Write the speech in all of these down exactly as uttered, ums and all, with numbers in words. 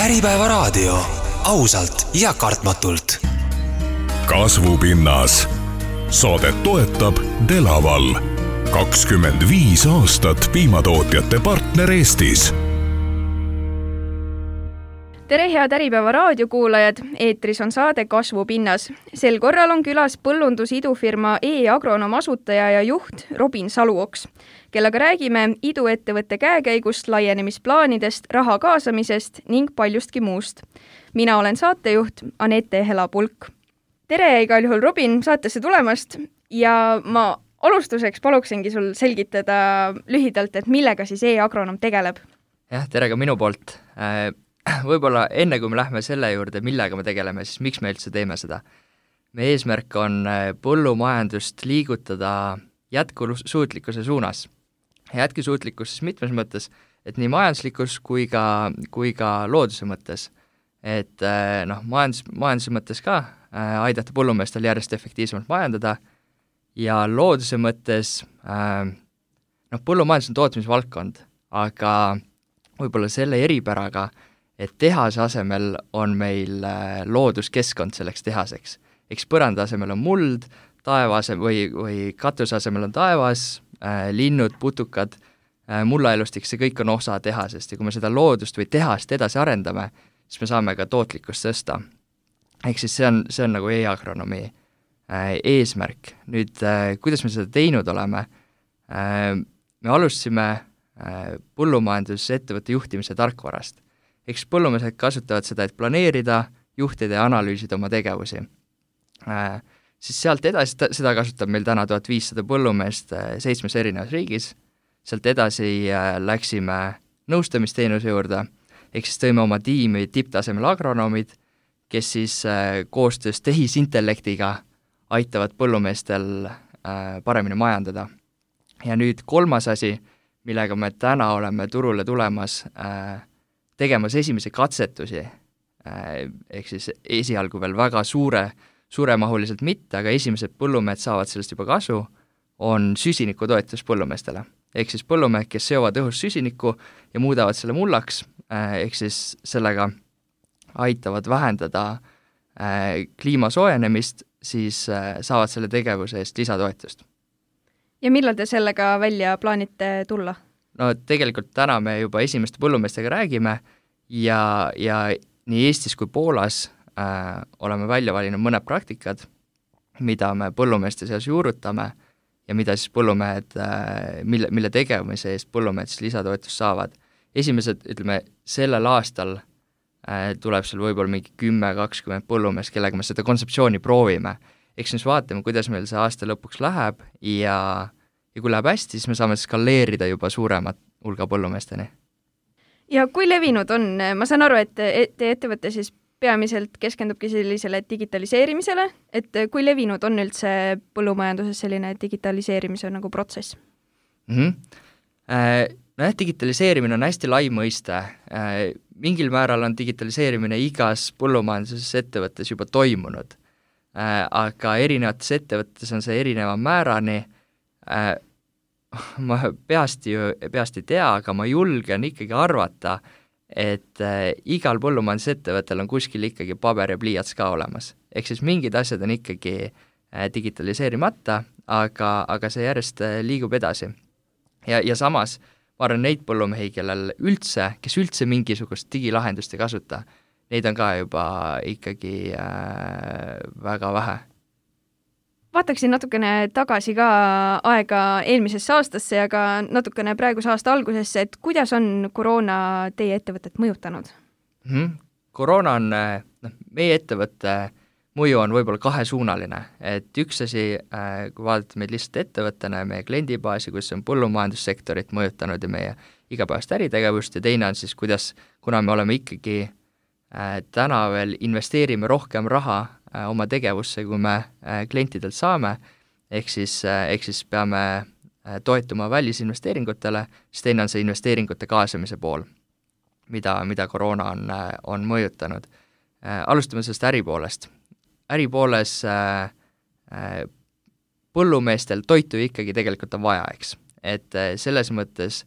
Äripäevaraadio. Ausalt ja kartmatult. Kasvupinnas. Saadet toetab Delaval. kakskümmend viis aastat piimatootjate partner Eestis. Tere head Äripäeva raadiokuulajad, eetris on saade Kasvupinnas. Sel korral on külas põllundusidufirma E-Agronom asutaja ja juht Robin Saluoks, kellega räägime iduettevõtte käekäigust, laienemisplaanidest, raha kaasamisest ning paljustki muust. Mina olen saatejuht Anette Helapulk. Tere igal juhul Robin saatesse tulemast ja ma alustuseks paluksingi sul selgitada lühidalt, et millega siis E-Agronom tegeleb. Jah, tere ka minu poolt. Võib-olla enne kui me lähme selle juurde, millega me tegeleme, siis miks me üldse teeme seda? Meie eesmärk on põllumajandust liigutada jätkusuutlikkuse suunas. Jätkusuutlikkus siis mitmes mõttes, et nii majanduslikus kui ka, kui ka looduse mõttes. Et noh, majandus, majanduse mõttes ka aidata põllumeestel järjest efektiivsemalt majandada ja looduse mõttes noh, põllumajandus on tootmisvaldkond, aga võib-olla selle eripäraga, et tehase asemel on meil looduskeskkond selleks tehaseks. Eks põranda asemel on muld, taeva asemel või, või katuse asemel on taevas, äh, linnud, putukad, äh, mullaelustik, see kõik on osa tehasest ja kui me seda loodust või tehast edasi arendame, siis me saame ka tootlikkust tõsta. Ehk siis see on, see on nagu E-Agronomi äh, eesmärk. Nüüd, äh, kuidas me seda teinud oleme? Äh, me alustasime äh, põllumajandusettevõtte juhtimise tarkvarast. Eks põllumehed kasutavad seda, et planeerida, juhtida ja analüüsida oma tegevusi. Äh, siis sealt edasi, seda kasutab meil täna tuhat viissada põllumeest äh, seitsmes erinevas riigis. Sealt edasi äh, läksime nõustamisteenuse juurde, ehk siis tõime oma tiimi tipptasemel agronomid, kes siis äh, koostöös tehisintellektiga aitavad põllumeestel äh, paremini majandada. Ja nüüd kolmas asi, millega me täna oleme turule tulemas äh, tegemas esimesi katsetusi, ehk siis esialgu veel väga suure, suuremahuliselt mitte, aga esimesed põllumehed saavad sellest juba kasu, on süsinikutoetus põllumeestele. Ehk siis põllumehed, kes seovad õhus süsinikku ja muudavad selle mullaks, ehk siis sellega aitavad vähendada kliima soojenemist, siis saavad selle tegevuse eest lisatoetust. Ja millal te sellega välja plaanite tulla? No tegelikult täna me juba esimeste põllumeestega räägime ja, ja nii Eestis kui Poolas äh, oleme välja valinud mõned praktikad, mida me põllumeeste seas juurutame ja mida siis põllumehed, äh, mille, mille tegemise eest põllumehed siis lisatoetust saavad. Esimesed, ütleme, sellel aastal äh, tuleb seal võib-olla mingi kümme kakskümmend põllumeest, kellega me seda kontseptsiooni proovime. Eks nüüd vaatame, kuidas meil see aasta lõpuks läheb ja ja kui läheb hästi, siis me saame skaleerida juba suuremat hulga põllumeesteni. Ja kui levinud on, ma saan aru, et te ettevõte siis peamiselt keskendubki sellisele digitaliseerimisele, et kui levinud on üldse põllumajanduses selline digitaliseerimise nagu protsess? Mm-hmm. Äh, no jah, digitaliseerimine on hästi lai mõiste. Äh, mingil määral on digitaliseerimine igas põllumajanduses ettevõttes juba toimunud, äh, aga erinevates ettevõttes on see erineva määrani. Äh, ma peast, ju, peast ei tea, aga ma julgen ikkagi arvata, et äh, igal põllumajandusettevõttel on kuskil ikkagi paber ja pliiats ka olemas. Ehk siis mingid asjad on ikkagi äh, digitaliseerimata, aga, aga see järjest äh, liigub edasi. Ja, ja samas, ma arvan neid põllumehi, kellel üldse, kes üldse mingisugust digilahendust ei kasuta, neid on ka juba ikkagi äh, väga vähe. Vaataksin natukene tagasi ka aega eelmisesse aastasse ja ka natukene praeguse aasta algusesse, et kuidas on koroona teie ettevõtet mõjutanud? Mm-hmm. Koroona on, no, meie ettevõtte mõju on võib-olla kahesuunaline, et üks asi, kui vaadata meid lihtsalt ettevõttena ja meie kliendibaasi, kus on põllumajandussektorit mõjutanud ja meie igapäevast äritegevust ja teine on siis, kuidas, kuna me oleme ikkagi äh, täna veel investeerime rohkem raha oma tegevusse, kui me klientidelt saame, ehk siis, ehk siis peame toetuma välisinvesteeringutele, siis teine on see investeeringute kaasamise pool, mida, mida koroona on, on mõjutanud. Alustame sellest äripoolest. Äripooles põllumeestel toitu ikkagi tegelikult on vaja, eks. Et selles mõttes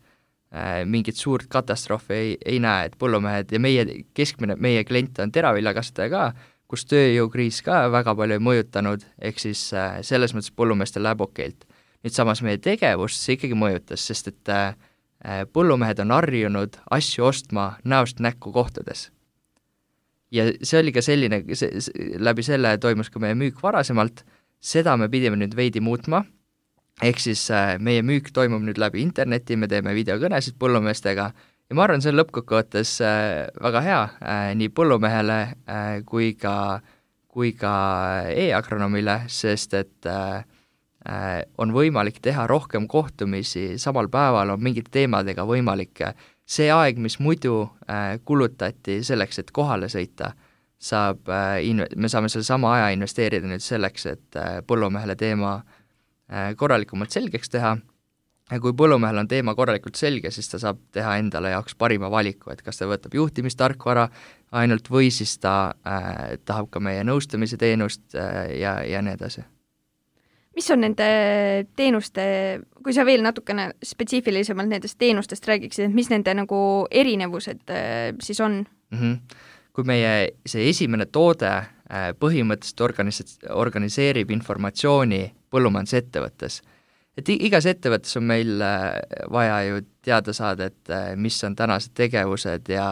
mingit suurt katastroofi ei, ei näe, et põllumehed ja meie keskmine, meie klient on teraviljakasvataja ka, kus tööjõukriis ka väga palju ei mõjutanud, ehk siis selles mõttes põllumeestel läheb okeilt. Nüüd samas meie tegevust see ikkagi mõjutas, sest et põllumehed on harjunud asju ostma näost näkku kohtades. Ja see oli ka selline, see, läbi selle toimus ka meie müük varasemalt, seda me pidime nüüd veidi muutma, ehk siis meie müük toimub nüüd läbi interneti, me teeme videokõnesid põllumeestega ja ma arvan, see on lõppkokkuvõttes väga hea nii põllumehele kui ka, kui ka e-agronomile, sest et on võimalik teha rohkem kohtumisi, samal päeval on mingite teemadega võimalik. See aeg, mis muidu kulutati selleks, et kohale sõita, saab, me saame selle sama aja investeerida nüüd selleks, et põllumehele teema korralikumalt selgeks teha. Ja kui põllumehel on teema korralikult selge, siis ta saab teha endale jaoks parima valiku, et kas ta võtab juhtimistarkvara ainult või siis ta äh, tahab ka meie nõustamise teenust äh, ja, ja nii edasi. Mis on nende teenuste, kui sa veel natukene spetsiifilisemalt nendest teenustest räägiksid, et mis nende nagu erinevused äh, siis on? Mm-hmm. Kui meie see esimene toode äh, põhimõtteliselt organis- organiseerib informatsiooni põllumajandusettevõttes, et igas ettevõttes on meil vaja ju teada saada, et mis on tänased tegevused ja,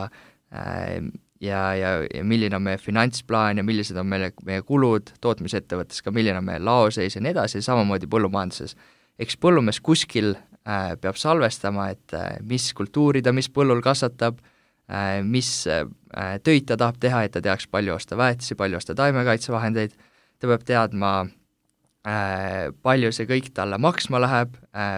ja, ja, ja milline on meie finantsplaan ja millised on meie, meie kulud tootmisettevõttes, ka milline on meie laoseis ja nii edasi, samamoodi põllumajanduses. Eks põllumees kuskil peab salvestama, et mis kultuuri ta mis põllul kasvatab, mis töid ta tahab teha, et ta teaks palju osta väetisi, palju osta taimekaitsevahendeid, ta peab teadma, palju see kõik talle maksma läheb,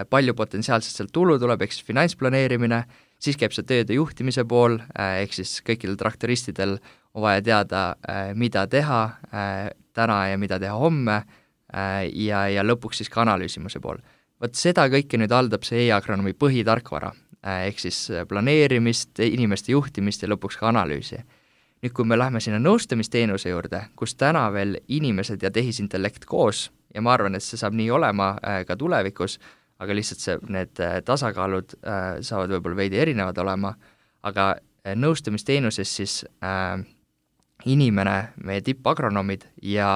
palju potentsiaalselt seal tulu tuleb, ehk siis finantsplaneerimine, siis käib see tööde juhtimise pool, ehk siis kõikidel traktoristidel on vaja teada, mida teha täna ja mida teha homme ja, ja lõpuks siis ka analüüsimuse pool. Võt seda kõike nüüd haldab see e-agronomi põhitarkvara, ehk siis planeerimist, inimeste juhtimist ja lõpuks ka analüüsi. Nüüd, kui me lähme sinna nõustamisteenuse juurde, kus täna veel inimesed ja tehisintellekt koos, ja ma arvan, et see saab nii olema ka tulevikus, aga lihtsalt see, need tasakaalud saavad võib-olla veidi erinevad olema, aga nõustamisteenuses siis äh, inimene, meie tippagronomid ja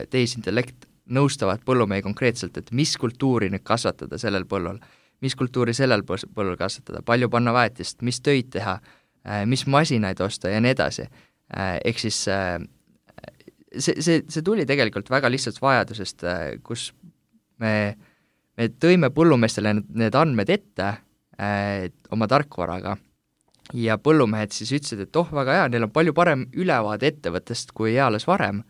tehisintellekt nõustavad põllumehi konkreetselt, et mis kultuuri nüüd kasvatada sellel põllul, mis kultuuri sellel põllul kasvatada, palju panna väetist, mis töid teha, mis masinaid osta ja nii edasi. Ehk siis see, see, see tuli tegelikult väga lihtsalt vajadusest, kus me, me tõime põllumeestele need andmed ette oma tarkvaraga ja põllumehed siis ütlesid, et oh, väga hea, neil on palju parem ülevaade ettevõttest kui eales varem,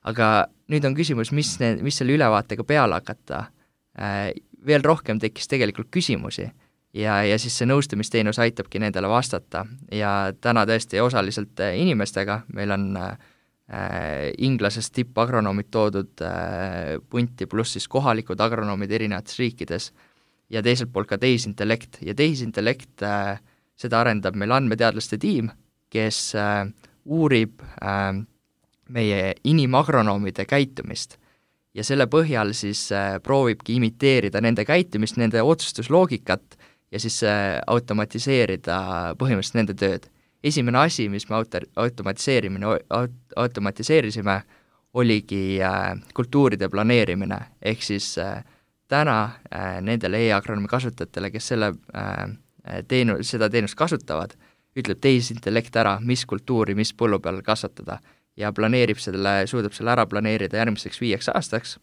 aga nüüd on küsimus, mis, ne, mis selle ülevaatega peale hakata. Veel rohkem tekkis tegelikult küsimusi ja, ja siis see nõustamisteenus aitabki nendele vastata ja täna tõesti osaliselt inimestega, meil on äh, inglasest tippagronoomid toodud äh, punti pluss siis kohalikud agronoomid erinevates riikides ja teiselt poolt ka tehisintellekt ja tehisintellekt äh, seda arendab meil andmeteadlaste tiim, kes äh, uurib äh, meie inimagronoomide käitumist ja selle põhjal siis äh, proovibki imiteerida nende käitumist, nende otsustusloogikat ja siis äh, automatiseerida põhimõtteliselt nende tööd. Esimene asi, mis me auto- automatiseerimine, aut- automatiseerisime, oligi äh, kultuuride planeerimine, ehk siis äh, täna äh, nendele e-agronomi kasutajatele, kes selle, äh, teenu, seda teenust kasutavad, ütleb tehisintellekt ära, mis kultuuri, mis põllu peal kasvatada ja planeerib selle, suudab selle ära planeerida järgmiseks viieks aastaks.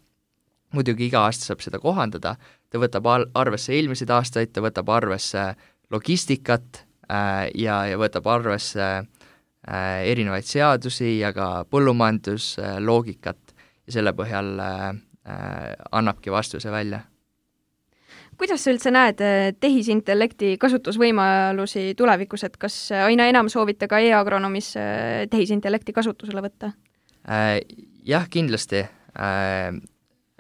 Muidugi iga aasta saab seda kohandada, ta võtab arvesse eelmiseid aastaid, ta võtab arvesse logistikat äh, ja, ja võtab arvesse äh, erinevaid seadusi ja ka põllumajandusloogikat ja selle põhjal äh, annabki vastuse välja. Kuidas sa üldse näed tehisintellekti kasutusvõimalusi tulevikus, et kas aina enam soovite ka e-agronoomis tehisintellekti kasutusele võtta? Äh, jah, kindlasti äh,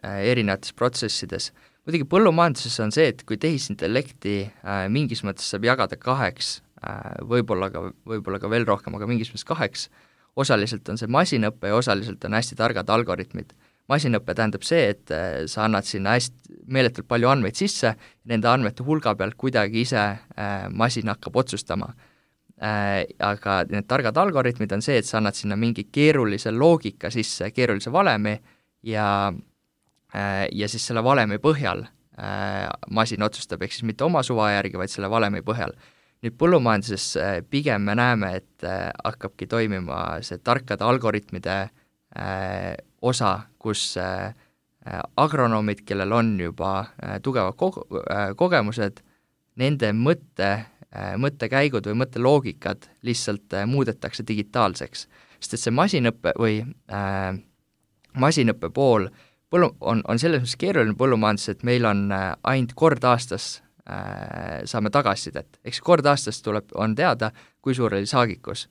erinevates protsessides. Muidugi põllumajanduses on see, et kui tehisintellekti äh, mingis mõttes saab jagada kaheks, äh, võib-olla ka, võib-olla ka veel rohkem, aga mingis mõttes kaheks, osaliselt on see masinõppe ja osaliselt on hästi targad algoritmid. Masinõpe tähendab see, et sa annad sinna hästi meeletult palju andmeid sisse, nende andmete hulga pealt kuidagi ise masin hakkab otsustama. Aga need targad algoritmid on see, et sa annad sinna mingi keerulise loogika sisse, keerulise valemi ja, ja siis selle valemi põhjal masin otsustab, ehk siis mitte oma suva järgi, vaid selle valemi põhjal. Nüüd põllumajanduses pigem me näeme, et hakkabki toimima see tarkade algoritmide osa, kus agronoomid, kellel on juba tugevad ko- kogemused, nende mõtte, mõttekäigud või mõtteloogikad lihtsalt muudetakse digitaalseks. Sest et see masinõppe või äh, masinõppe pool põllu, on, on selles mõttes keeruline põllumajandus, et meil on ainult kord aastas äh, saame tagasisidet. Eks kord aastas tuleb, on teada, kui suur oli saagikus.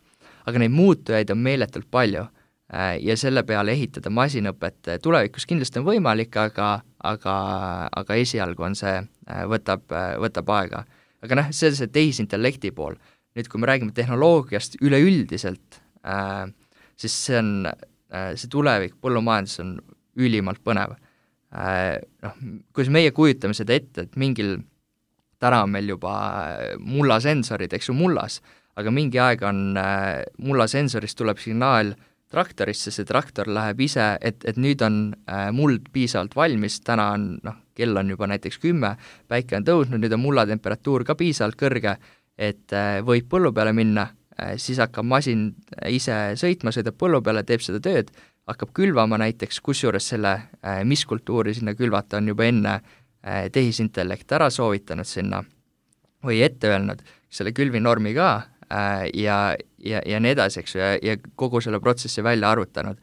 Aga neid muutujaid on meeletult palju. Ja selle peale ehitada masinõpet tulevikus kindlasti on võimalik, aga, aga, aga esialgu on see, võtab, võtab aega. Aga noh, see on see tehisintellekti pool. Nüüd, kui me räägime tehnoloogiast üleüldiselt, siis see on, see tulevik põllumajandus on ülimalt põnev. Noh, kui meie kujutame seda ette, et mingil, täna on meil juba mullasensorid, eks ju mullas, aga mingi aeg on mullasensorist tuleb signaal traktorisse, see traktor läheb ise, et, et nüüd on äh, muld piisavalt valmis, täna on, noh, kell on juba näiteks kümme, päike on tõusnud, nüüd on mulla temperatuur ka piisavalt kõrge, et äh, võib põllu peale minna, äh, siis hakkab masin ise sõitma, sõidab põllu peale, teeb seda tööd, hakkab külvama näiteks, kusjuures selle, äh, mis kultuuri sinna külvata on juba enne äh, tehisintellekt ära soovitanud sinna või ette öelnud selle külvinormi ka, ja, ja, ja nii edasi, eks ju, ja, ja kogu selle protsessi välja arvutanud.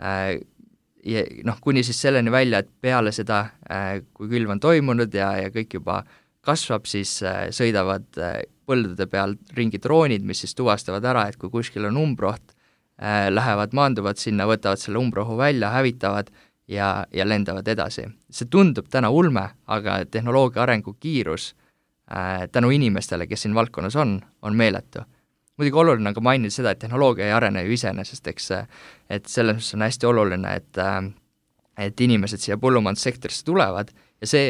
Ja noh, kuni siis selleni välja, et peale seda, kui külv on toimunud ja, ja kõik juba kasvab, siis sõidavad põldude peal ringi droonid, mis siis tuvastavad ära, et kui kuskil on umbroht, lähevad, maanduvad sinna, võtavad selle umbrohu välja, hävitavad ja, ja lendavad edasi. See tundub täna ulme, aga tehnoloogia arengu kiirus tänu inimestele, kes siin valdkonnas on, on meeletu. Muidugi oluline on ka mainida seda, et tehnoloogia ei arene ju iseenesest, eks, et selles mõttes on hästi oluline, et, et inimesed siia põllumajandussektorisse tulevad ja see,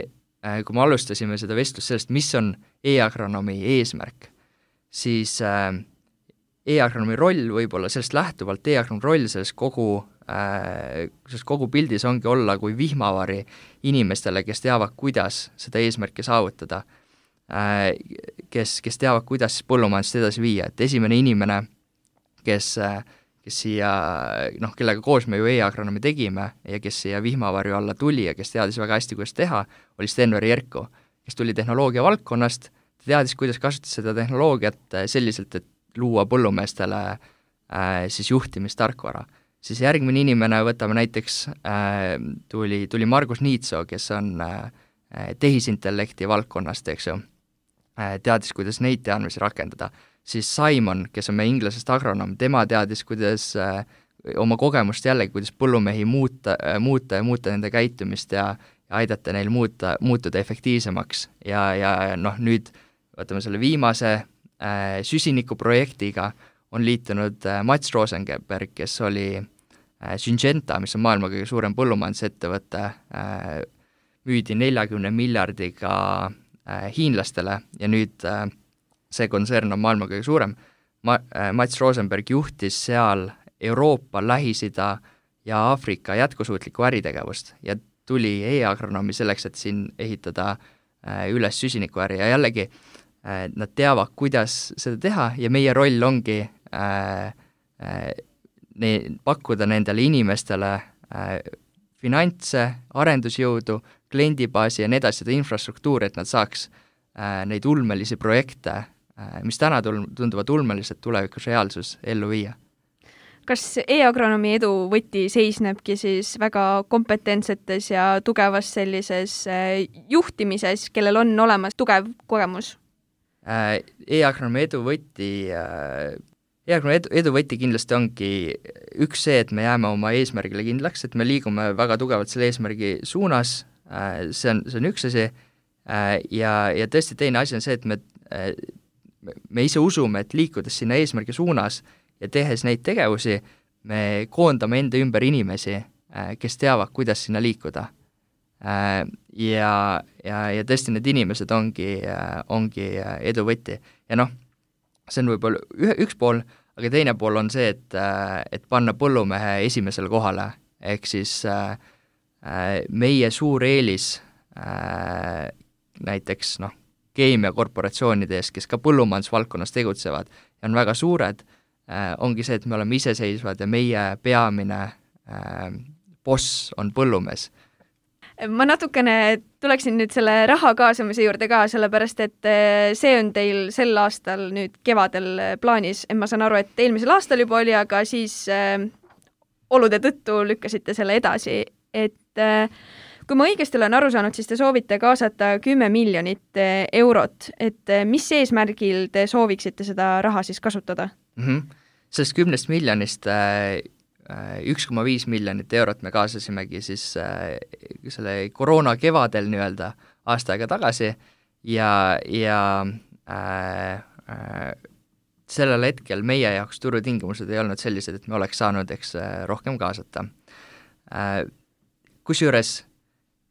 kui me alustasime seda vestlust sellest, mis on e-agronomi eesmärk, siis e-agronomi roll võib-olla sellest lähtuvalt, e-agronomi roll selles kogu, selles kogu pildis ongi olla kui vihmavari inimestele, kes teavad, kuidas seda eesmärki saavutada, kes, kes teavad, kuidas põllumajandust edasi viia, et esimene inimene, kes, kes siia, noh, kellega koos me ju e-agronomi tegime ja kes siia vihmavarju alla tuli ja kes teadis väga hästi, kuidas teha, oli Sten-Veri Jerko, kes tuli tehnoloogia valdkonnast, ta teadis, kuidas kasutada seda tehnoloogiat selliselt, et luua põllumeestele äh, siis juhtimistarkvara. Siis järgmine inimene, võtame näiteks, äh, tuli, tuli Margus Niitso, kes on äh, tehisintellekti valdkonnast, eks ju, teadis, kuidas neid teadmisi rakendada. Siis Simon, kes on meie inglasest agronoom, tema teadis, kuidas äh, oma kogemust jällegi, kuidas põllumehi muuta, muuta ja muuta nende käitumist ja, ja aidata neil muuta, muutuda efektiivsemaks. Ja, ja noh, nüüd võtame selle viimase äh, süsinikuprojektiga on liitunud äh, Mats Rosenberg, kes oli äh, Syngenta, mis on maailma kõige suurem põllumajandusettevõte, äh, müüdi neljakümne miljardiga äh, hiinlastele ja nüüd äh, see kontsern on maailma kõige suurem. Ma, äh, Mats Rosenberg juhtis seal Euroopa, Lähis-Ida ja Aafrika jätkusuutlikku äritegevust ja tuli e-agronoomi selleks, et siin ehitada äh, üles süsinikuäri ja jällegi äh, nad teavad, kuidas seda teha ja meie roll ongi äh, äh, ne, pakkuda nendele inimestele äh, finantse, arendusjõudu, kliendibaasi ja nii edasi, seda infrastruktuuri, et nad saaks äh, neid ulmelisi projekte, äh, mis täna tunduvad ulmelised tulevikus reaalsus ellu viia. Kas e-agronoomi edu võti seisnebki siis väga kompetentsetes ja tugevas sellises äh, juhtimises, kellel on olemas tugev kogemus? Äh, e-agronoomi edu võti äh, E-agronomi edu, edu võti kindlasti ongi üks see, et me jääme oma eesmärgile kindlaks, et me liigume väga tugevalt selle eesmärgi suunas, see on, see on üks asi, ja, ja tõesti teine asi on see, et me, me ise usume, et liikudes sinna eesmärgi suunas ja tehes neid tegevusi, me koondame enda ümber inimesi, kes teavad, kuidas sinna liikuda. Ja, ja, ja tõesti need inimesed ongi, ongi edu võti. Ja noh, see on võib-olla ühe, üks pool, aga teine pool on see, et, et panna põllumehe esimesele kohale, ehk siis meie suur eelis näiteks noh, keemiakorporatsioonide ees, kes ka põllumajandusvaldkonnas tegutsevad ja on väga suured, ongi see, et me oleme iseseisvad ja meie peamine boss on põllumees. Ma natukene tuleksin nüüd selle raha kaasamise juurde ka, sellepärast et see on teil sel aastal nüüd kevadel plaanis. Ma saan aru, et eelmisel aastal juba oli, aga siis äh, olude tõttu lükkasite selle edasi. Et äh, kui ma õigesti olen aru saanud, siis te soovite kaasata kümme miljonit eurot. Et äh, mis eesmärgil te sooviksite seda raha siis kasutada? Mm-hmm. Sellest kümnest miljonist äh, üks koma viis miljonit eurot me kaasasimegi siis äh, selle koroona kevadel nii-öelda aasta aega tagasi ja, ja äh, äh, sellel hetkel meie jaoks turutingimused ei olnud sellised, et me oleks saanud eks rohkem kaasata. Äh, kusjuures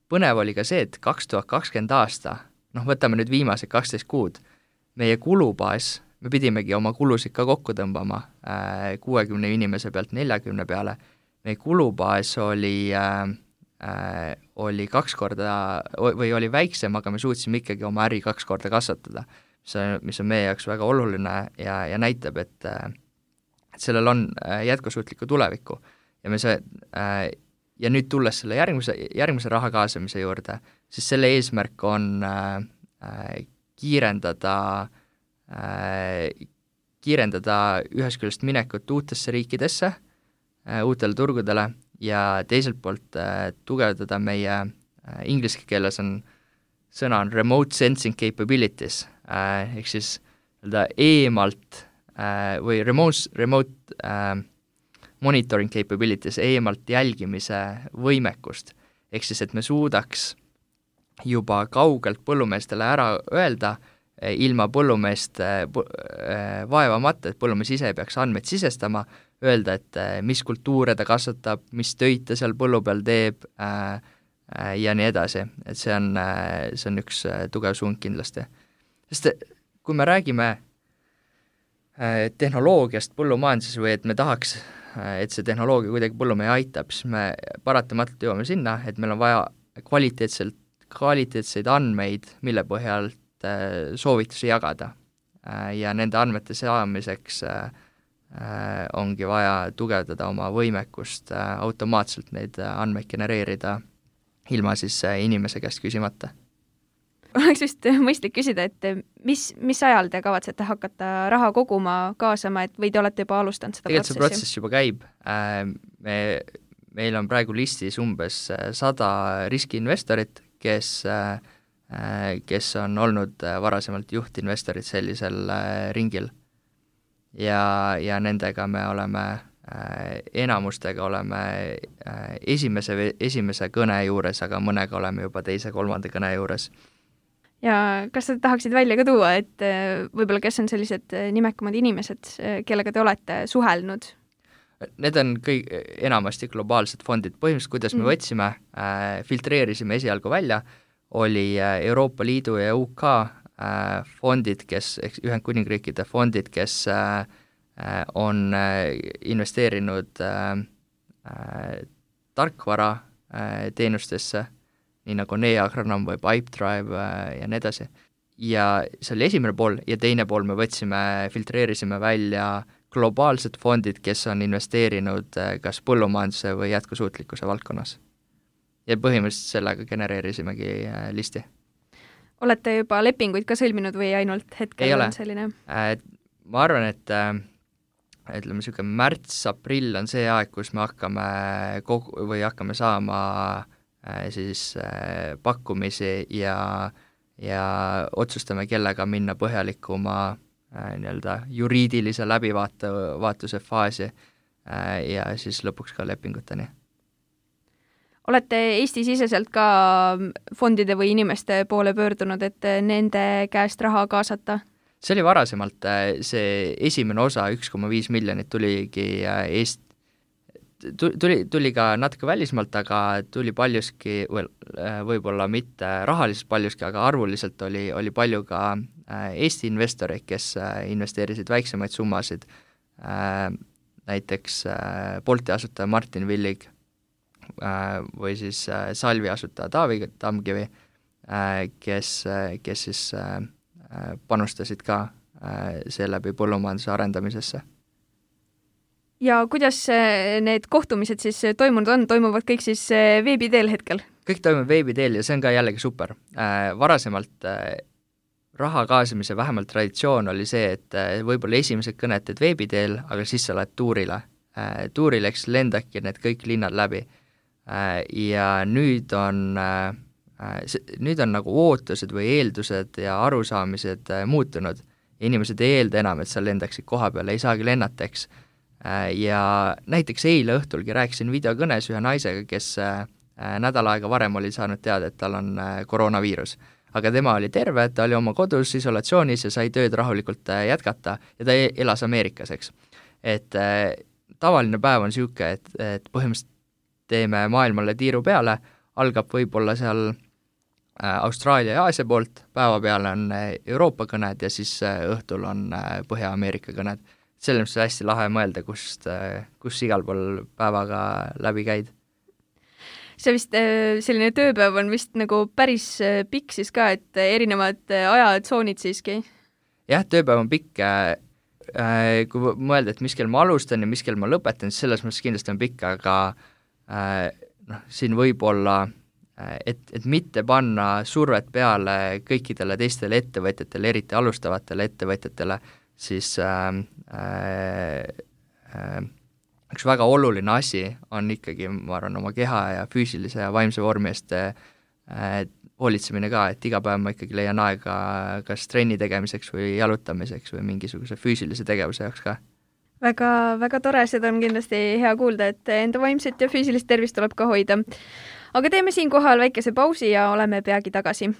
põnev oli ka see, et kaks tuhat kakskümmend aasta, noh võtame nüüd viimased kaksteist kuud, meie kulubaas, me pidimegi oma kulusid ka kokku tõmbama kuuekümne inimese pealt neljakümne peale. Meie kulubaas oli, äh, oli kaks korda või oli väiksem, aga me suutsime ikkagi oma äri kaks korda kasvatada, mis on, mis on meie jaoks väga oluline ja, ja näitab, et, et sellel on jätkusuutliku tulevikku. Ja, me see, äh, ja nüüd tulles selle järgmise, järgmise raha kaasamise juurde, siis selle eesmärk on äh, kiirendada kiirendada ühest küljest minekut uutesse riikidesse, uutele turgudele ja teiselt poolt tugevdada meie inglise keeles on sõna on remote sensing capabilities, ehk siis eemalt või remote, remote monitoring capabilities, eemalt jälgimise võimekust, ehk siis, et me suudaks juba kaugelt põllumeestele ära öelda, ilma põllumeest vaevamata, et põllumees ise peaks andmeid sisestama, öelda, et mis kultuure ta kasvatab, mis töid ta seal põllu peal teeb ja nii edasi. Et see on, see on üks tugev suund kindlasti. Sest kui me räägime tehnoloogiast põllumajanduses või et me tahaks, et see tehnoloogia kuidagi põllumehe aitab, siis me paratamatult jõuame sinna, et meil on vaja kvaliteetselt, kvaliteetseid andmeid, mille põhjal soovitusi jagada ja nende andmete saamiseks ongi vaja tugevdada oma võimekust automaatselt neid andmeid genereerida ilma siis inimese käest küsimata. Oleks vist mõistlik küsida, et mis, mis ajal te kavatsete hakata raha koguma, kaasama, et või te olete juba alustanud seda Tegelikult protsessi? Tegelikult see protsess juba käib. Me, meil on praegu listis umbes sada riskiinvestorit, kes kes on olnud varasemalt juhtinvestorid sellisel ringil. Ja, ja nendega me oleme, enamustega oleme esimese, esimese kõne juures, aga mõnega oleme juba teise, kolmanda kõne juures. Ja kas sa tahaksid välja ka tuua, et võib-olla kes on sellised nimekamad inimesed, kellega te olete suhelnud? Need on kõik enamasti globaalsed fondid. Põhimõtteliselt, kuidas me võtsime, filtreerisime esialgu välja, oli Euroopa Liidu ja U K fondid, kes, Ühendkuningriikide fondid, kes on investeerinud tarkvara teenustesse, nii nagu Neagranom või Pipedrive ja nii edasi. Ja see oli esimene pool ja teine pool me võtsime, filtreerisime välja globaalsed fondid, kes on investeerinud kas põllumajanduse või jätkusuutlikkuse valdkonnas. Ja põhimõtteliselt sellega genereerisimegi listi. Olete juba lepinguid ka sõlminud või ainult hetkel ei on ole. Selline? Ma arvan, et ütleme, selline märts-aprill on see aeg, kus me hakkame kogu, või hakkame saama siis pakkumisi ja, ja otsustame, kellega minna põhjalikuma nii-öelda juriidilise läbivaatuse faasi ja siis lõpuks ka lepinguteni. Olete Eesti-siseselt ka fondide või inimeste poole pöördunud, et nende käest raha kaasata? See oli varasemalt, see esimene osa, üks koma viis miljonit tuligi Eest, tuli, tuli ka natuke välismaalt, aga tuli paljuski, võib-olla mitte rahaliselt paljuski, aga arvuliselt oli, oli palju ka Eesti investoreid, kes investeerisid väiksemaid summasid, näiteks Bolti asutaja Martin Villig või siis Salvi asutaja Taavi Tamkivi, kes, kes siis panustasid ka seeläbi põllumajanduse arendamisesse. Ja kuidas need kohtumised siis toimunud on? Toimuvad kõik siis veebi teel hetkel? Kõik toimub veebi teel ja see on ka jällegi super. Varasemalt raha kaasamise vähemalt traditsioon oli see, et võib-olla esimesed kõned teed veebi teel, aga siis sa lähed tuurile. Tuuril eks lendaki need kõik linnad läbi. Ja nüüd on, nüüd on nagu ootused või eeldused ja arusaamised muutunud. Inimesed ei eelda enam, et sa lendaksid koha peale, ei saagi lennata, eks. Ja näiteks eile õhtulgi rääkisin videokõnes ühe naisega, kes nädal aega varem oli saanud teada, et tal on koroonaviirus. Aga tema oli terve, ta oli oma kodus isolatsioonis ja sai tööd rahulikult jätkata ja ta elas Ameerikas, eks. Et tavaline päev on siuke, et, et põhimõtteliselt teeme maailmale tiiru peale, algab võib-olla seal Austraalia ja Aasia poolt, päeva peale on Euroopa kõned ja siis õhtul on Põhja-Ameerika kõned. Selle mõttes hästi lahe mõelda, kust, kus igal pool päevaga läbi käid. See vist selline tööpäev on vist nagu päris pikk siis ka, et erinevad ajatsoonid siiski? Jah, tööpäev on pikk. Kui mõelda, et mis kell ma alustan ja mis kell ma lõpetan, siis selles mõttes kindlasti on pikk, aga noh, siin võib olla, et, et mitte panna survet peale kõikidele teistele ettevõtjatele, eriti alustavatele ettevõtjatele, siis äh, äh, üks väga oluline asi on ikkagi, ma arvan, oma keha ja füüsilise ja vaimse vormi eest äh, hoolitsemine ka, et iga päev ma ikkagi leian aega kas trenni tegemiseks või jalutamiseks või mingisuguse füüsilise tegevuse jaoks ka. Väga, väga tore, seda on kindlasti hea kuulda, et enda vaimset ja füüsilist tervist tuleb ka hoida. Aga teeme siin kohal väikese pausi ja oleme peagi tagasi.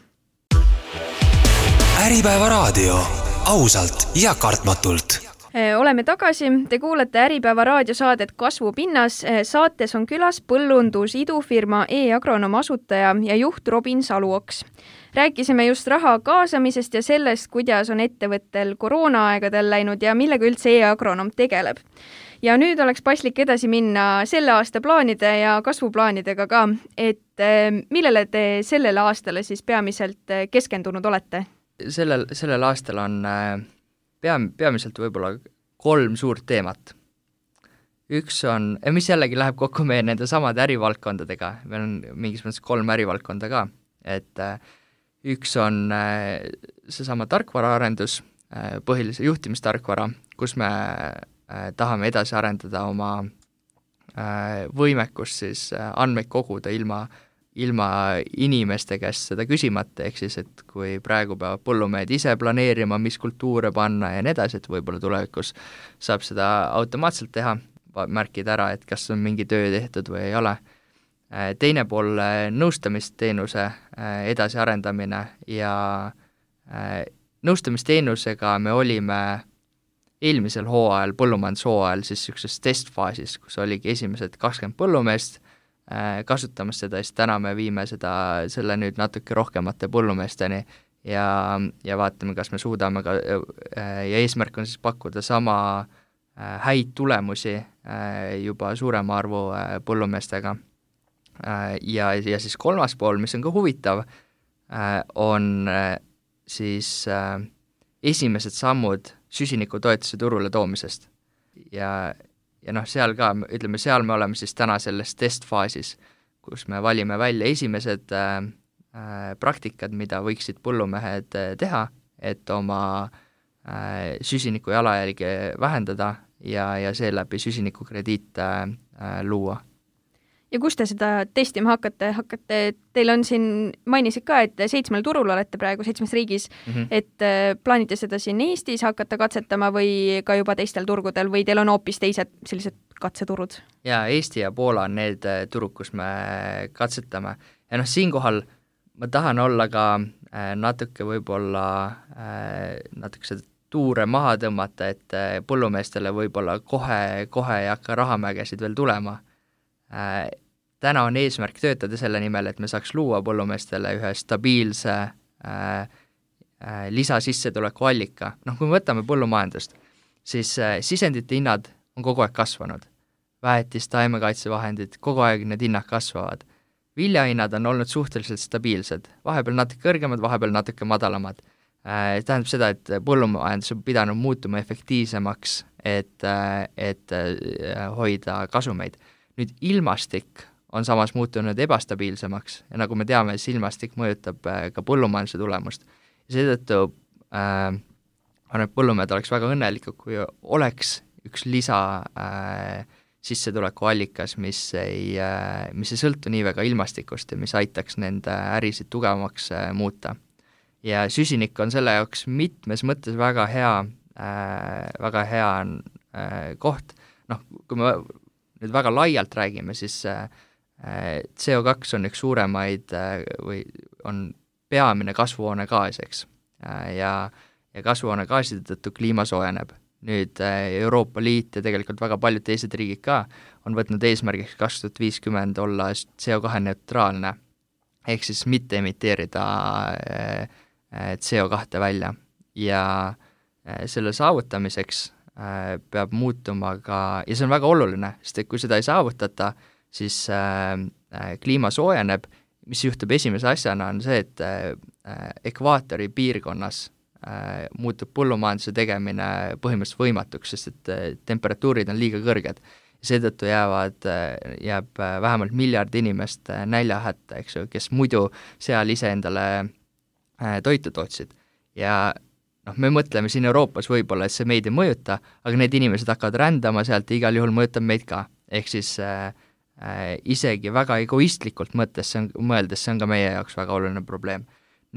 Äripäeva raadio. Ausalt ja kartmatult. Oleme tagasi. Te kuulete Äripäeva raadiosaadet Kasvupinnas. Saates on külas põllundus idufirma E-Agronom asutaja ja juht Robin Saluoks. Rääkisime just raha kaasamisest ja sellest, kuidas on ettevõttel koroonaaegadel läinud ja millega üldse E-Agronom tegeleb. Ja nüüd oleks paslik edasi minna selle aasta plaanide ja kasvuplaanidega ka, et millele te sellele aastale siis peamiselt keskendunud olete? Sellel, sellel aastal on peam, peamiselt võib-olla kolm suurt teemat. Üks on, mis jällegi läheb kokku meie nende samade ärivaldkondadega, meil on mingis mõttes kolm ärivaldkonda ka, et üks on seesama tarkvaraarendus, põhilise juhtimistarkvara, kus me tahame edasi arendada oma võimekust siis andmeid koguda ilma ilma inimeste käest seda küsimata, ehk siis, et kui praegu peavad põllumehed ise planeerima, mis kultuure panna ja nii edasi, et võib-olla tulevikus saab seda automaatselt teha, märkida ära, et kas on mingi töö tehtud või ei ole. Teine pool nõustamisteenuse edasiarendamine ja nõustamisteenusega me olime eelmisel hooajal, põllumajandushooajal siis niisuguses testfaasis, kus oligi esimesed kakskümmend põllumeest kasutamas seda, siis täna me viime seda, selle nüüd natuke rohkemate põllumeesteni ja, ja vaatame, kas me suudame ka, ja eesmärk on siis pakkuda sama häid tulemusi juba suurema arvu põllumeestega. Ja, ja siis kolmas pool, mis on ka huvitav, on siis esimesed sammud süsinikutoetuse turule toomisest. Ja Ja noh, seal ka, ütleme, seal me oleme siis täna selles testfaasis, kus me valime välja esimesed äh, praktikad, mida võiksid põllumehed teha, et oma äh, süsiniku jalajälge vähendada ja, ja seeläbi süsinikukrediit äh, luua. Ja kus te seda testima hakkate? hakkate? Teil on siin, mainisid ka, et seitsmel turul olete praegu seitsmes riigis, mm-hmm. et plaanite seda siin Eestis hakata katsetama või ka juba teistel turgudel või teil on hoopis teised sellised katseturud? Ja Eesti ja Poola on need turud, kus me katsetame. Ja noh, siinkohal ma tahan olla ka natuke võib-olla natuke seda tuure maha tõmmata, et põllumeestele võib-olla kohe, kohe ei hakka rahamägesid veel tulema. täna on eesmärk töötada selle nimel, et me saaks luua põllumeestele ühe stabiilse äh, äh, lisasissetuleku allika. Noh, kui me võtame põllumajandust, siis äh, sisendite hinnad on kogu aeg kasvanud. Väetis, taimekaitsevahendid, kogu aeg need hinnad kasvavad. Viljahinnad on olnud suhteliselt stabiilsed, vahepeal natuke kõrgemad, vahepeal natuke madalamad. Äh, tähendab seda, et põllumajandus on pidanud muutuma efektiivsemaks, et, äh, et äh, hoida kasumeid. Nüüd ilmastik on samas muutunud ebastabiilsemaks ja nagu me teame, siis ilmastik mõjutab äh, ka põllumajanduse tulemust. Ja seetõttu äh, on, et põllumehed oleks väga õnnelikud, kui oleks üks lisa äh, sissetuleku allikas, mis ei, mis ei sõltu nii väga ilmastikust ja mis aitaks nende ärisid tugevamaks muuta. Ja süsinik on selle jaoks mitmes mõttes väga hea, väga hea koht. Noh, kui me nüüd väga laialt räägime, siis C O kaks on üks suuremaid või on peamine kasvuhoonegaas, eks. Ja, ja kasvuhoonegaaside tõttu kliima soojeneb. Nüüd Euroopa Liit ja tegelikult väga paljud teised riigid ka on võtnud eesmärgiks kaks tuhat viiskümmend olla C O kahe neutraalne, ehk siis mitte emiteerida C O kahe välja. Ja selle saavutamiseks peab muutuma ka, ja see on väga oluline, sest et kui seda ei saavutata, siis kliima soojeneb, mis juhtub esimese asjana on see, et ekvaatori piirkonnas muutub põllumajanduse tegemine põhimõtteliselt võimatuks, sest et temperatuurid on liiga kõrged. Seetõttu jäävad, jääb vähemalt miljard inimest näljahätta, eks ju, kes muidu seal ise endale toitu tootsid. Ja noh, me mõtleme siin Euroopas võib-olla, et see meid ei mõjuta, aga need inimesed hakkavad rändama sealt ja igal juhul mõjutab meid ka. Ehk siis äh, isegi väga egoistlikult mõttes, see on, mõeldes, see on ka meie jaoks väga oluline probleem.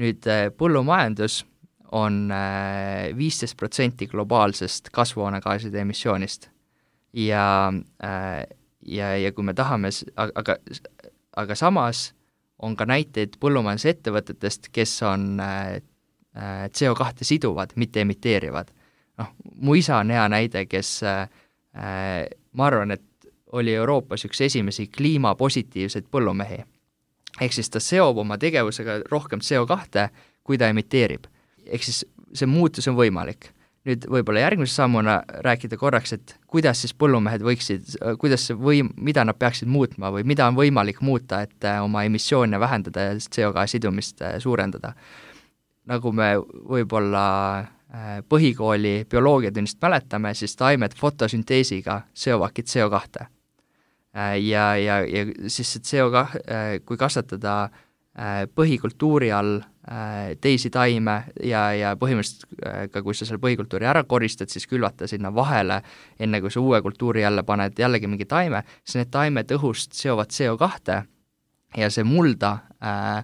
Nüüd äh, põllumajandus on viisteist protsenti globaalsest kasvuhoonegaaside emissioonist. Ja, ja, ja kui me tahame, aga, aga samas on ka näiteid põllumajandusettevõtetest, kes on C O kahe siduvad, mitte emiteerivad. noh, mu isa on hea näide, kes äh, ma arvan, et oli Euroopas üks esimesi kliimapositiivseid põllumehi. Ehk siis ta seob oma tegevusega rohkem C O kahe, kui ta emiteerib. Ehk siis see muutus on võimalik. Nüüd võib-olla järgmise sammuna rääkida korraks, et kuidas siis põllumehed võiksid, kuidas see võim, mida nad peaksid muutma või mida on võimalik muuta, et oma emissioone vähendada ja C O kahe sidumist suurendada. Nagu me võib-olla põhikooli bioloogiatunnist mäletame, siis taimed fotosünteesiga seovadki C O kahe. Ja, ja, ja siis C O kahe, kui kasvatada põhikultuuri all teisi taime ja, ja põhimõtteliselt ka kui sa selle põhikultuuri ära koristad, siis külvata sinna vahele, enne kui sa uue kultuuri jälle paned jällegi mingi taime, siis need taimed õhust seovad C O kahe ja see mulda äh,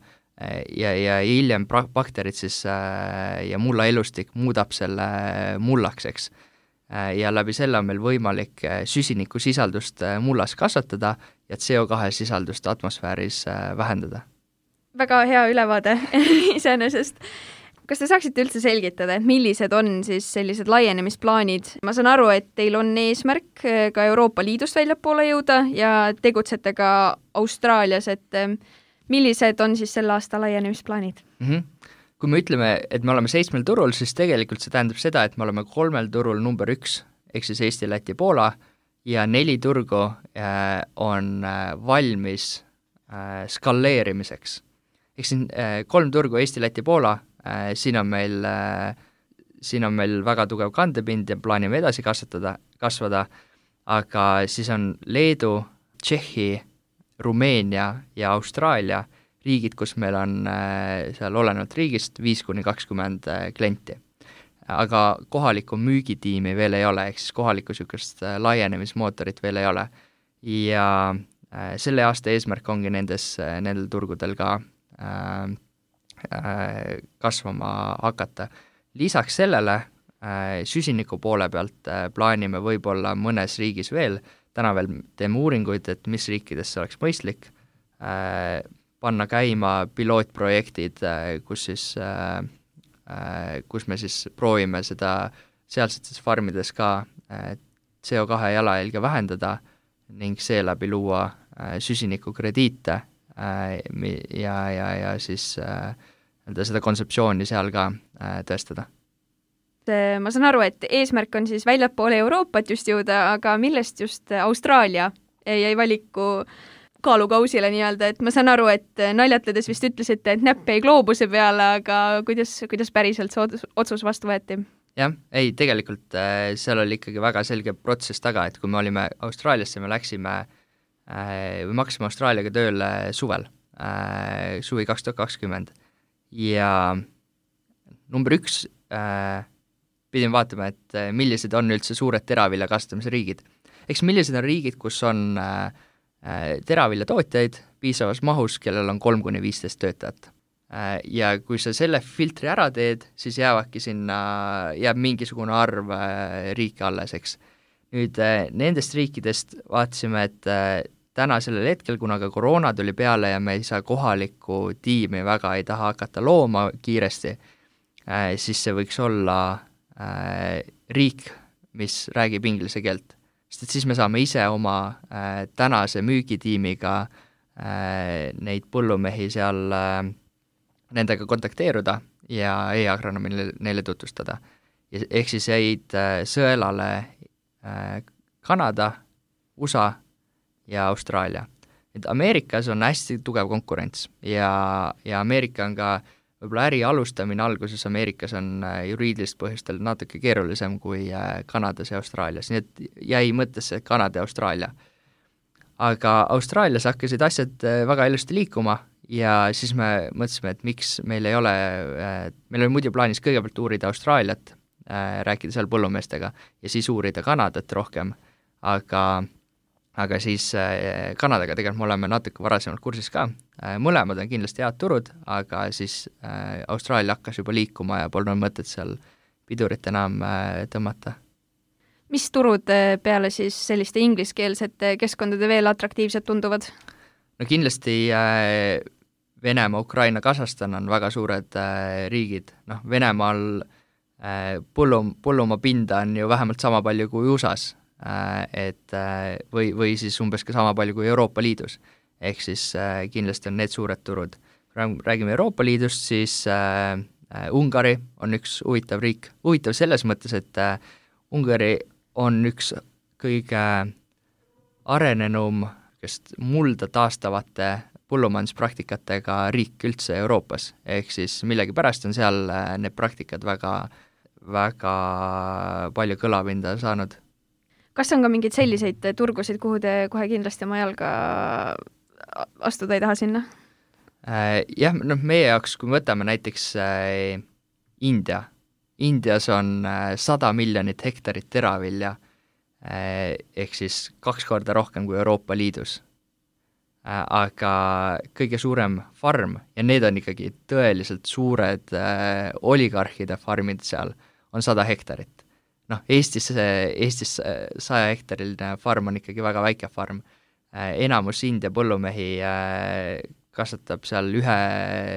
ja, ja hiljem bakterid siis äh, ja mulla elustik muudab selle mullaks, eks. Äh, ja läbi selle on meil võimalik süsiniku sisaldust mullas kasvatada ja C O kahe sisaldust atmosfääris äh, vähendada. Väga hea ülevaade iseenesest. Kas te saaksite üldse selgitada, et millised on siis sellised laienemisplaanid? Ma saan aru, et teil on eesmärk ka Euroopa Liidust väljapoole jõuda ja tegutsete ka Austraalias, et millised on siis selle aasta laienemisplaanid? Mm-hmm. Kui me ütleme, et me oleme seitsmel turul, siis tegelikult see tähendab seda, et me oleme kolmel turul number üks, ehk siis Eesti, Läti, Poola ja neli turgu on valmis skaleerimiseks. Ehk siin kolm turgu Eesti, Läti, Poola, siin on meil, siin on meil väga tugev kandepind ja plaanime edasi kasvatada, kasvada, aga siis on Leedu, Tšehhi, Rumeenia ja Austraalia riigid, kus meil on seal olenevalt riigist viis kuni kakskümmend klienti. Aga kohalikku müügitiimi veel ei ole, ehk siis kohalikku sükest laienemismootorit veel ei ole. Ja selle aasta eesmärk ongi nendes, nendel turgudel ka äh, äh, kasvama hakata. Lisaks sellele äh, süsiniku poole pealt äh, plaanime võib-olla mõnes riigis veel, täna veel teeme uuringuid, et mis riikides see oleks mõistlik, äh, panna käima pilootprojektid, äh, kus siis äh, äh, kus me siis proovime seda sealsetes farmides ka äh, C O kahe jalajälge vähendada ning seeläbi luua süsinikukrediite ja, ja, ja siis seda kontseptsiooni seal ka tõestada. Ma saan aru, et eesmärk on siis väljapoole Euroopat just jõuda, aga millest just Austraalia jäi valiku kaalukausile nii-öelda, et ma saan aru, et naljatledes vist ütlesite, et näpp ei gloobuse peale, aga kuidas, kuidas päriselt see otsus vastu võeti? Jah, ei, tegelikult seal oli ikkagi väga selge protsess taga, et kui me olime Austraaliasse, me läksime või me hakkasime Austraaliaga tööle suvel, suvi kaks tuhat kakskümmend ja number üks pidin vaatama, et millised on üldse suured teravilja kasvatamise riigid. Eks millised on riigid, kus on teravilja tootjaid piisavas mahus, kellel on kolm kuni viisteist töötajat. Ja kui sa selle filtri ära teed, siis jäävadki sinna, jääb mingisugune arv riike alles, eks. Nüüd nendest riikidest vaatasime, et täna sellel hetkel, kuna ka koroona tuli peale ja me ei saa kohalikku tiimi väga ei taha hakata looma kiiresti, siis see võiks olla riik, mis räägib inglise keelt. Sest et siis me saame ise oma äh, tänase müügitiimiga äh, neid põllumehi seal äh, nendega kontakteeruda ja e-agronoomi neile, neile tutvustada. Ja, ehk siis jäid äh, sõelale äh, Kanada, U S A ja Austraalia. Et Ameerikas on hästi tugev konkurents ja, ja Ameerika on ka võib-olla äri alustamine alguses Ameerikas on juriidilist põhjustel natuke keerulisem kui Kanadas ja Austraalias, nii et jäi mõttesse Kanada ja Austraalia. Aga Austraalias hakkasid asjad väga ilusti liikuma ja siis me mõtlesime, et miks meil ei ole, meil oli muidu plaanis kõigepealt uurida Austraaliat, rääkida seal põllumeestega ja siis uurida Kanadat rohkem, aga aga siis Kanadaga tegelikult me oleme natuke varasemalt kursis ka. Mõlemad on kindlasti head turud, aga siis Austraalia hakkas juba liikuma ja polnud mõtet seal pidurit enam tõmmata. Mis turud peale siis selliste ingliskeelsete keskkondade veel atraktiivsed tunduvad? No kindlasti Venemaa, Ukraina, Kasahstan on väga suured riigid. Noh, Venemaal põllum, põllumaa pinda on ju vähemalt sama palju kui U S A-s. Et, või, või siis umbes ka sama palju kui Euroopa Liidus. Ehk siis kindlasti on need suured turud. Räägime Euroopa Liidust, siis äh, Ungari on üks huvitav riik. Huvitav selles mõttes, et äh, Ungari on üks kõige arenenum kest mulda taastavate põllumajanduspraktikatega riik üldse Euroopas. Ehk siis millegi pärast on seal need praktikad väga, väga palju kõlapinda saanud. Kas on ka mingeid selliseid turgusid, kuhu te kohe kindlasti oma jalga astuda ei taha sinna? Äh, jah, noh, meie jaoks, kui me võtame näiteks äh, India. Indias on äh, sada miljonit hektarit teravilja, äh, ehk siis kaks korda rohkem kui Euroopa Liidus. Äh, aga kõige suurem farm, ja need on ikkagi tõeliselt suured äh, oligarhide farmid seal, on sada hektarit. Noh, Eestis, Eestis saja hektariline farm on ikkagi väga väike farm. Enamus India põllumehi kasvatab seal ühe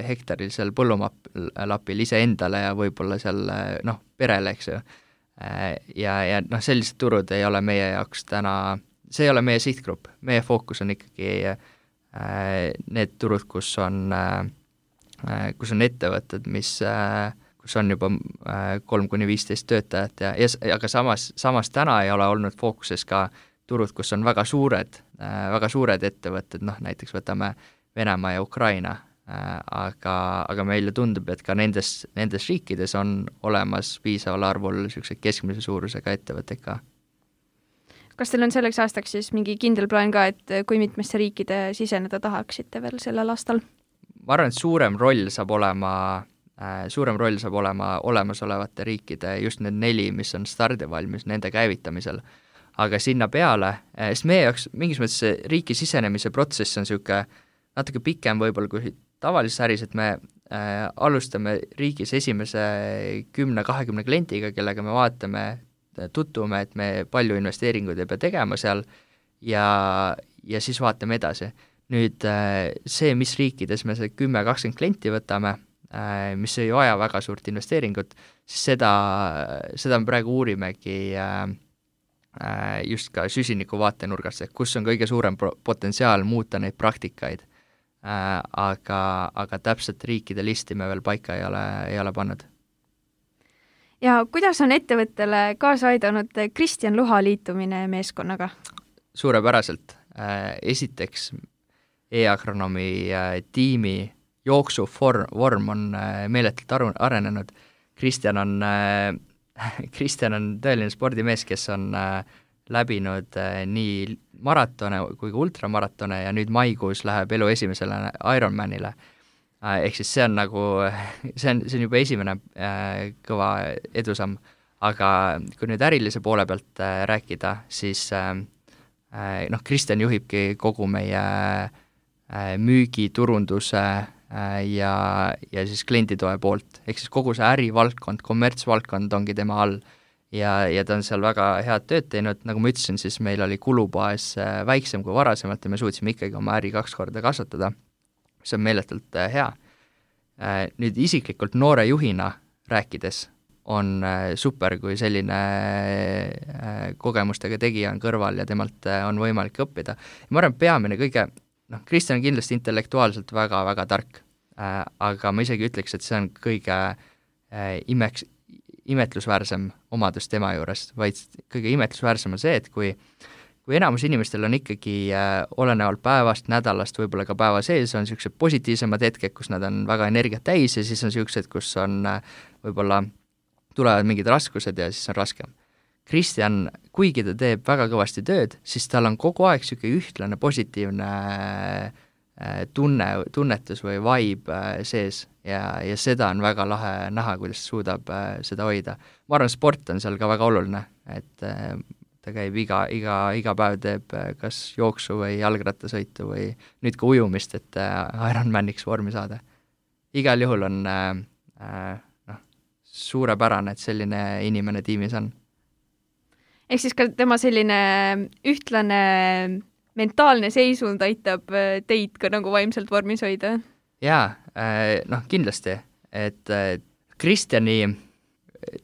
hektarilisel põllumapil ise endale ja võib-olla seal noh, perele, eks ju. Ja, ja noh, sellised turud ei ole meie jaoks täna, see ei ole meie sihtgrupp. Meie fookus on ikkagi need turud, kus on, kus on ettevõtted, mis kus on juba kolm kuni viisteist töötajat ja, ja aga samas, samas täna ei ole olnud fookuses ka turud, kus on väga suured, väga suured ettevõtted, noh näiteks võtame Venemaa ja Ukraina, aga, aga meile tundub, et ka nendes, nendes riikides on olemas piisaval arvul sellised keskmise suurusega ettevõtted ka. Kas teil on selleks aastaks siis mingi kindel plaan ka, et kui mitmesse riikide siseneda tahaksite veel sellel aastal? Ma arvan, et suurem roll saab olema suurem roll saab olema olemasolevate riikide, just need neli, mis on stardivalmis nende käivitamisel. Aga sinna peale, sest meie jaoks mingis mõttes see riiki sisenemise protsess on niisugune natuke pikem võib-olla kui tavalises äris, et me äh, alustame riigis esimese kümne kahekümne klientiga, kellega me vaatame, tutvume, et me palju investeeringuid ei pea tegema seal ja, ja siis vaatame edasi. Nüüd äh, see, mis riikides me see kümme kakskümmend klienti võtame, mis ei vaja väga suurt investeeringut, siis seda, seda me praegu uurimegi just ka süsiniku vaatenurgast, et kus on kõige suurem potentsiaal muuta neid praktikaid, aga, aga täpselt riikide listi me veel paika ei ole, ei ole pannud. Ja kuidas on ettevõttele kaasa aidanud Kristjan Luha liitumine meeskonnaga? Suurepäraselt. Esiteks e-agronoomi tiimi jooksuvorm on meeletult aru, arenenud. Kristjan on Kristjan on tõeline spordimees, kes on äh, läbinud äh, nii maratone kui ka ultramaratone ja nüüd maikuus läheb elu esimesele Ironmanile. Äh, ehk siis see on nagu, see on, see on juba esimene äh, kõva edusamm, aga kui nüüd ärilise poole pealt äh, rääkida, siis äh, äh, noh, Kristjan juhibki kogu meie äh, müügiturunduse ja, ja siis klienditoe poolt, ehk siis kogu see ärivaldkond, kommertsvaldkond ongi tema all ja, ja ta on seal väga head tööd teinud, nagu ma ütlesin, siis meil oli kulubaas väiksem kui varasemalt ja me suutsime ikkagi oma äri kaks korda kasvatada, see on meeletult hea. Nüüd isiklikult noore juhina rääkides on super, kui selline kogemustega tegija on kõrval ja temalt on võimalik õppida. Ma arvan, peamine kõige noh, Kristjan on kindlasti intellektuaalselt väga-väga tark, äh, aga ma isegi ütleks, et see on kõige äh, imeks, imetlusväärsem omadus tema juures, vaid kõige imetlusväärsem on see, et kui, kui enamus inimestel on ikkagi äh, olenevalt päevast, nädalast, võib-olla ka päeva sees, on niisugused positiivsemad hetked, kus nad on väga energiat täis ja siis on niisugused, kus on äh, võib-olla tulevad mingid raskused ja siis on raskem. Kristjan, kuigi ta teeb väga kõvasti tööd, siis tal on kogu aeg niisugune ühtlane positiivne tunne, tunnetus või vibe sees ja, ja seda on väga lahe näha, kuidas suudab seda hoida. Ma arvan, sport on seal ka väga oluline, et ta käib iga, iga, iga päev teeb kas jooksu või jalgrattasõitu või nüüd ka ujumist, et Ironmaniks vormi saada. Igal juhul on noh, suurepärane, et selline inimene tiimis on. Ehk siis ka tema selline ühtlane mentaalne seisund aitab teid ka nagu vaimselt vormis hoida? Jaa, noh kindlasti, et Kristjani,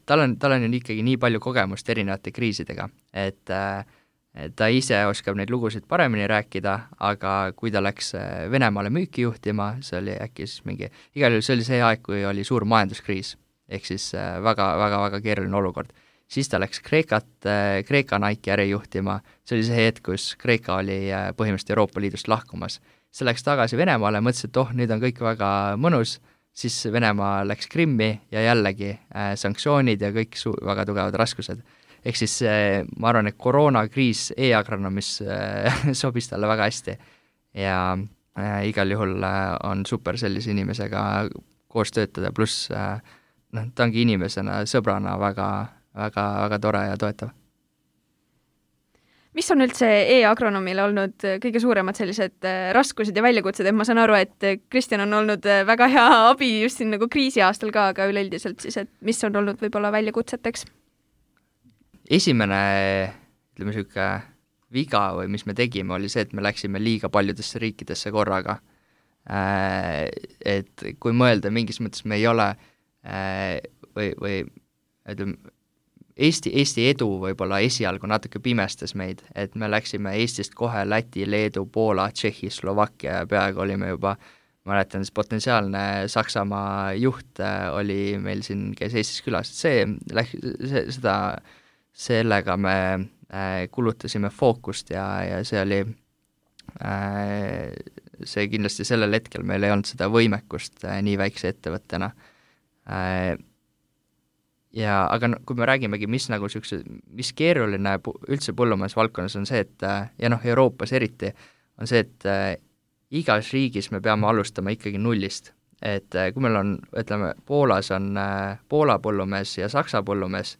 tal on, tal on ju ikkagi nii palju kogemust erinevate kriisidega, et ta ise oskab neid lugusid paremini rääkida, aga kui ta läks Venemaale müüki juhtima, see oli äkki siis mingi, igal juhul see oli see aeg, kui oli suur majanduskriis, ehk siis väga, väga, väga keeruline olukord. Siis ta läks Kreekat, Kreeka Nike äri juhtima, see oli see hetk, kus Kreeka oli põhimõtteliselt Euroopa Liidust lahkumas. See läks tagasi Venemaale, mõtles, et oh, nüüd on kõik väga mõnus, siis Venemaa läks Krimmi ja jällegi äh, sanktsioonid ja kõik su- väga tugevad raskused. Ehk siis äh, ma arvan, et koroonakriis e-agronoomis äh, sobis talle väga hästi ja äh, igal juhul äh, on super sellise inimesega koos töötada, pluss äh, noh, ta ongi inimesena, sõbrana väga väga, väga tore ja toetav. Mis on üldse e-agronoomile olnud kõige suuremad sellised raskused ja väljakutsed, et ma saan aru, et Kristjan on olnud väga hea abi just siin nagu kriisi aastal ka, aga üleüldiselt siis, et mis on olnud võib-olla väljakutseteks? Esimene, ütleme niisugune viga või mis me tegime, oli see, et me läksime liiga paljudesse riikidesse korraga. Et kui mõelda, mingis mõttes me ei ole või, või ütleme, Eesti, Eesti edu võib-olla esialgu natuke pimestas meid, et me läksime Eestist kohe Läti, Leedu, Poola, Tšehhi, Slovakkia ja peaaegu olime juba, mäletan, siis potentsiaalne Saksamaa juht oli meil siin, käis Eestis külas, see, see, seda, sellega me kulutasime fookust ja, ja see oli, see kindlasti sellel hetkel meil ei olnud seda võimekust nii väikse ettevõttena. Ja, aga no, kui me räägimegi, mis nagu sükse, mis keeruline üldse põllumajandusvaldkonnas on see, et ja noh, Euroopas eriti, on see, et äh, igas riigis me peame alustama ikkagi nullist. Et äh, kui meil on, ütleme, Poolas on äh, Poola põllumees ja Saksa põllumees,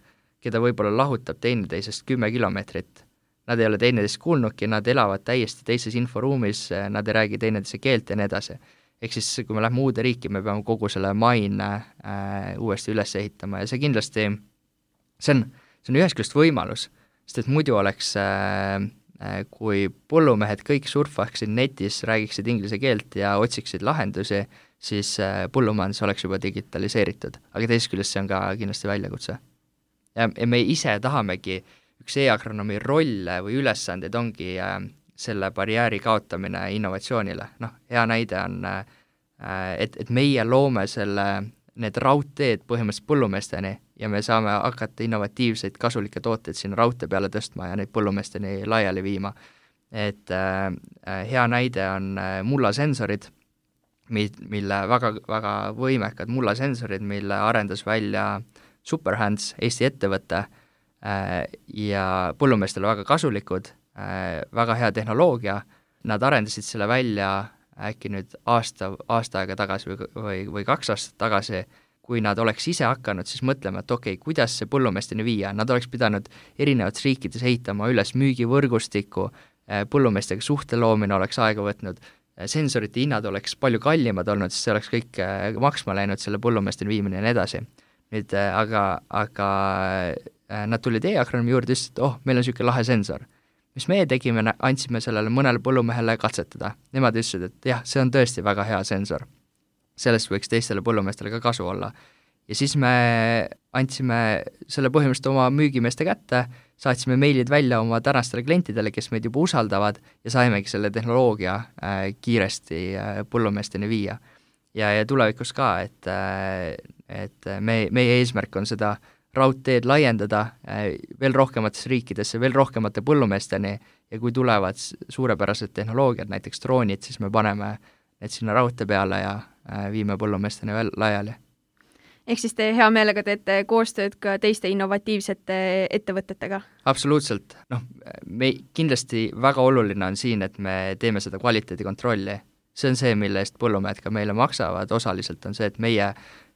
keda võib-olla lahutab teineteisest kümme kilomeetrit, nad ei ole teineteist kuulnudki, nad elavad täiesti teises inforuumis, nad ei räägi teineteise keelt ja nii edasi. Ehk siis, kui me lähme uude riiki, me peame kogu selle maine äh, uuesti üles ehitama ja see kindlasti, see on, see on ühest küljest võimalus, sest et muidu oleks, äh, kui põllumehed kõik surfaksid netis, räägiksid inglise keelt ja otsiksid lahendusi, siis äh, põllumajandus oleks juba digitaliseeritud, aga teisest küljest see on ka kindlasti väljakutse. Ja, ja me ise tahamegi, üks e-agronoomi rolle või ülesandeid ongi äh, selle barjääri kaotamine innovatsioonile. Noh, hea näide on, äh, et, et meie loome selle, need raudteed põhimõtteliselt põllumeesteni ja me saame hakata innovatiivseid kasulikke tooteid sinna raudtee peale tõstma ja neid põllumeesteni laiali viima. Et äh, hea näide on äh, mullasensorid, mille väga, väga võimekad mullasensorid, mille arendas välja Superhands, Eesti ettevõte äh, ja põllumeestele väga kasulikud, äh, väga hea tehnoloogia. Nad arendasid selle välja äkki nüüd aasta, aasta aega tagasi või, või, või kaks aastat tagasi. Kui nad oleks ise hakanud siis mõtlema, et okei, okay, kuidas see põllumeesteni viia, nad oleks pidanud erinevates riikides ehitama üles müügivõrgustiku, äh, põllumeestega suhte loomine oleks aega võtnud, sensorite hinnad oleks palju kallimad olnud, siis see oleks kõik maksma läinud selle põllumeesteni viimine ja nii edasi. Nüüd aga, aga nad tulid e-agronoomi juurde ja ütlesid, et oh, meil on niisugune lahe sensor. Mis meie tegime, andsime sellele mõnele põllumehele katsetada. Nemad ütlesid, et jah, see on tõesti väga hea sensor. Sellest võiks teistele põllumeestele ka kasu olla. Ja siis me andsime selle põhimõtteliselt oma müügimeeste kätte, saatsime meilid välja oma tänastele klientidele, kes meid juba usaldavad ja saimegi selle tehnoloogia äh, kiiresti äh, põllumeesteni viia. Ja, ja tulevikus ka, et, äh, et me, meie eesmärk on seda raudteed laiendada äh, veel rohkematesse riikidesse, veel rohkemate põllumeesteni ja kui tulevad suurepärased tehnoloogiad, näiteks droonid, siis me paneme need sinna raudtee peale ja äh, viime põllumeesteni veel laiali. Ehk siis te hea meelega teete koostööd ka teiste innovatiivsete ettevõtetega? Absoluutselt. Noh, me kindlasti väga oluline on siin, et me teeme seda kvaliteedikontrolli. See on see, mille eest põllumehed ka meile maksavad. Osaliselt on see, et meie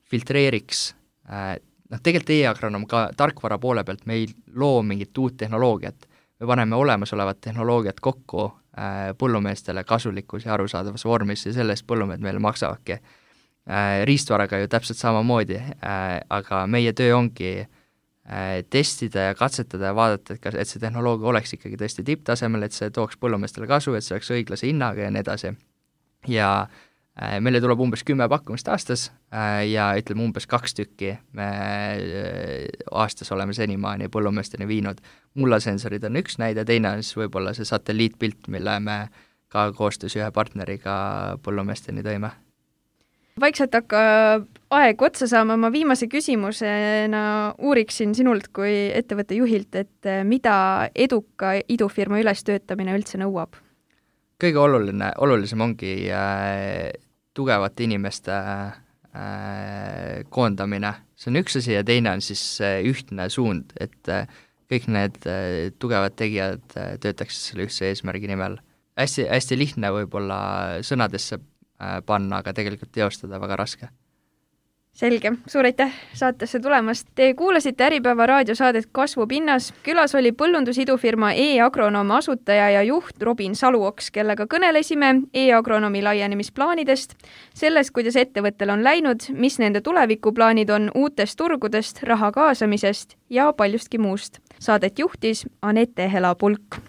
filtreeriks, noh, tegelikult e-agronoom ka tarkvara poole pealt me ei loo mingit uut tehnoloogiat. Me paneme olemasolevat tehnoloogiat kokku põllumeestele kasulikus ja arusaadavas vormis ja selle eest põllumehed meile maksavadki. Riistvaraga ju täpselt samamoodi, aga meie töö ongi testida ja katsetada ja vaadata, et, kas, et see tehnoloogia oleks ikkagi tõesti tipptasemel, et see tooks põllumeestele kasu, et see oleks õiglase hinnaga ja nii edasi. Ja meile tuleb umbes kümme pakkumist aastas ja ütleme umbes kaks tükki me aastas oleme senimaani põllumeesteni viinud. Mullasensorid on üks näide, teine on siis võib-olla see satelliitpilt, mille me ka koostöös ühe partneriga põllumeesteni tõime. Vaikselt hakka aeg otsa saama, ma viimase küsimusena uuriksin sinult kui ettevõtte juhilt, et mida eduka idufirma ülestöötamine üldse nõuab? Kõige oluline, olulisem ongi äh, tugevate inimeste äh, koondamine. See on üks asi ja teine on siis äh, ühtne suund, et äh, kõik need äh, tugevad tegijad äh, töötaks selle ühtse eesmärgi nimel. Hästi, hästi lihtne võib-olla sõnadesse panna, aga tegelikult teostada väga raske. Selge, suur aitäh saatesse tulemast. Te kuulasite Äripäeva raadiosaadet Kasvupinnas. Külas oli põllundusidufirma e-agronoom asutaja ja juht Robin Saluoks, kellega kõnelesime e-agronoomi laienemisplaanidest, sellest, kuidas ettevõttel on läinud, mis nende tulevikuplaanid on uutest turgudest, raha kaasamisest ja paljustki muust. Saadet juhtis Anette Hela-Pulk.